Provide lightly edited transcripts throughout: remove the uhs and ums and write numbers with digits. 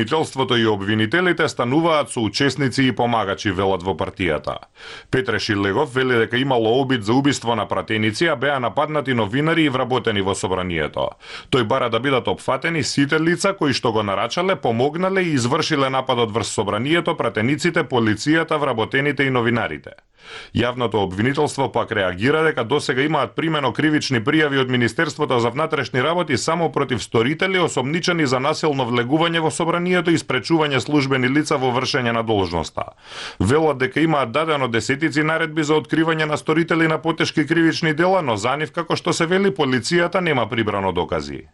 Обвинителството и обвинителите стануваат соучесници и помагачи, велат во партијата. Петре Шилегов вели дека имало обид за убиство на пратеници, а беа нападнати новинари и вработени во собранието. Тој бара да бидат опфатени сите лица кои што го нарачале, помогнале и извршиле нападот врз собранието, пратениците, полицијата, вработените и новинарите. Јавното обвинителство пак реагира дека досега имаат примено кривични пријави од Министерството за внатрешни работи само против сторители осомничени за насилно влегување во собранието и спречување службени лица во вршење на должноста. Велат дека имаат дадено десетици наредби за откривање на сторители на потешки кривични дела, но за нив, како што се вели, полицијата нема прибрано докази.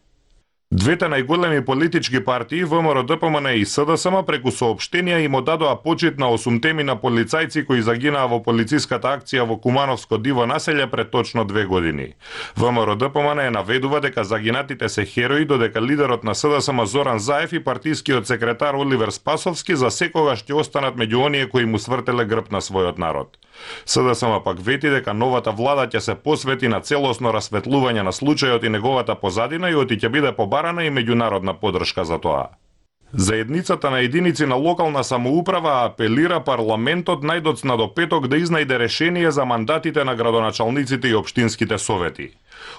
Двете најголеми политички партии, ВМРО, ДПМН и СДСМ, преку соопштенија им одадоа почит на 8 на полицајци кои загинаа во полициската акција во Кумановско диво населје пред точно 2 години. ВМРО ДПМН наведува дека загинатите се херои, додека лидерот на СДСМ Зоран Заев и партискиот секретар Оливер Спасовски за секогаш ќе останат меѓу оние кои му свртеле грб на својот народ. СДСМ пак вети дека новата влада ќе се посвети на целосно расветлување на случајот и неговата позадина и оти ќе биде побарана и меѓународна поддршка за тоа. Заедницата на единици на локална самоуправа апелира парламентот најдоцна до петок да изнајде решение за мандатите на градоначалниците и општинските совети.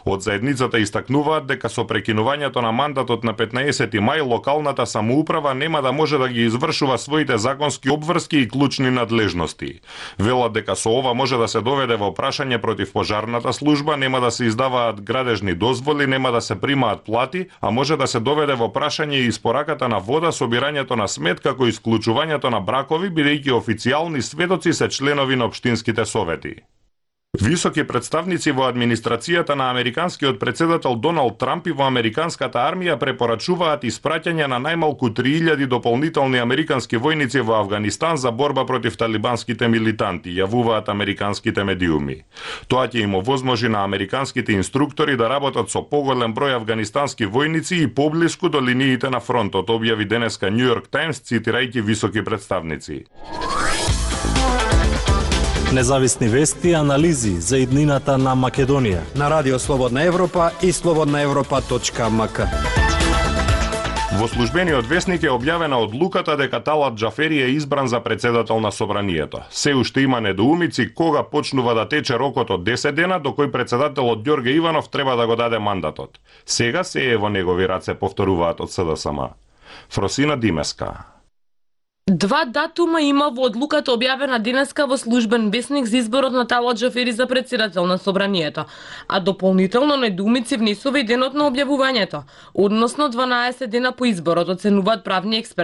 Од заедницата истакнуваат дека со прекинувањето на мандатот на 15 мај локалната самоуправа нема да може да ги извршува своите законски обврски и клучни надлежности. Велат дека со ова може да се доведе во прашање против пожарната служба, нема да се издаваат градежни дозволи, нема да се примаат плати, а може да се доведе во прашање и испораката на вода, собирањето на смет, како и исклучувањето на бракови, бидејќи официјални сведоци се членови на општинските совети. Високи представници во администрацијата на американскиот председател Доналд Трамп и во американската армија препорачуваат испраќање на најмалку 3000 дополнителни американски војници во Авганистан за борба против талибанските милитанти, јавуваат американските медиуми. Тоа ќе им овозможи на американските инструктори да работат со поголем број афганистански војници и поблиску до линиите на фронтот, објави денеска Нью Йорк Таймс, цитирајќи високи представници. Независни вести и анализи за иднината на Македонија на Радио Слободна Европа и slobodnaevropa.mk. Во службениот весник е објавена одлуката дека Талат Џафери е избран за председател на собранието. Се уште има недоумици кога почнува да тече рокот од 10 дена до кој председателот Ѓорге Иванов треба да го даде мандатот. Сега се е во негови раце, повторуваат од СДСМ. Фросина Димеска. Два датума има во одлуката објавена денеска во службен весник за изборот на Талат Џафери за председател на собранието, а дополнително недоумици внесува и денот на објавувањето, односно 12 дена по изборот, оценуваат правни експерти.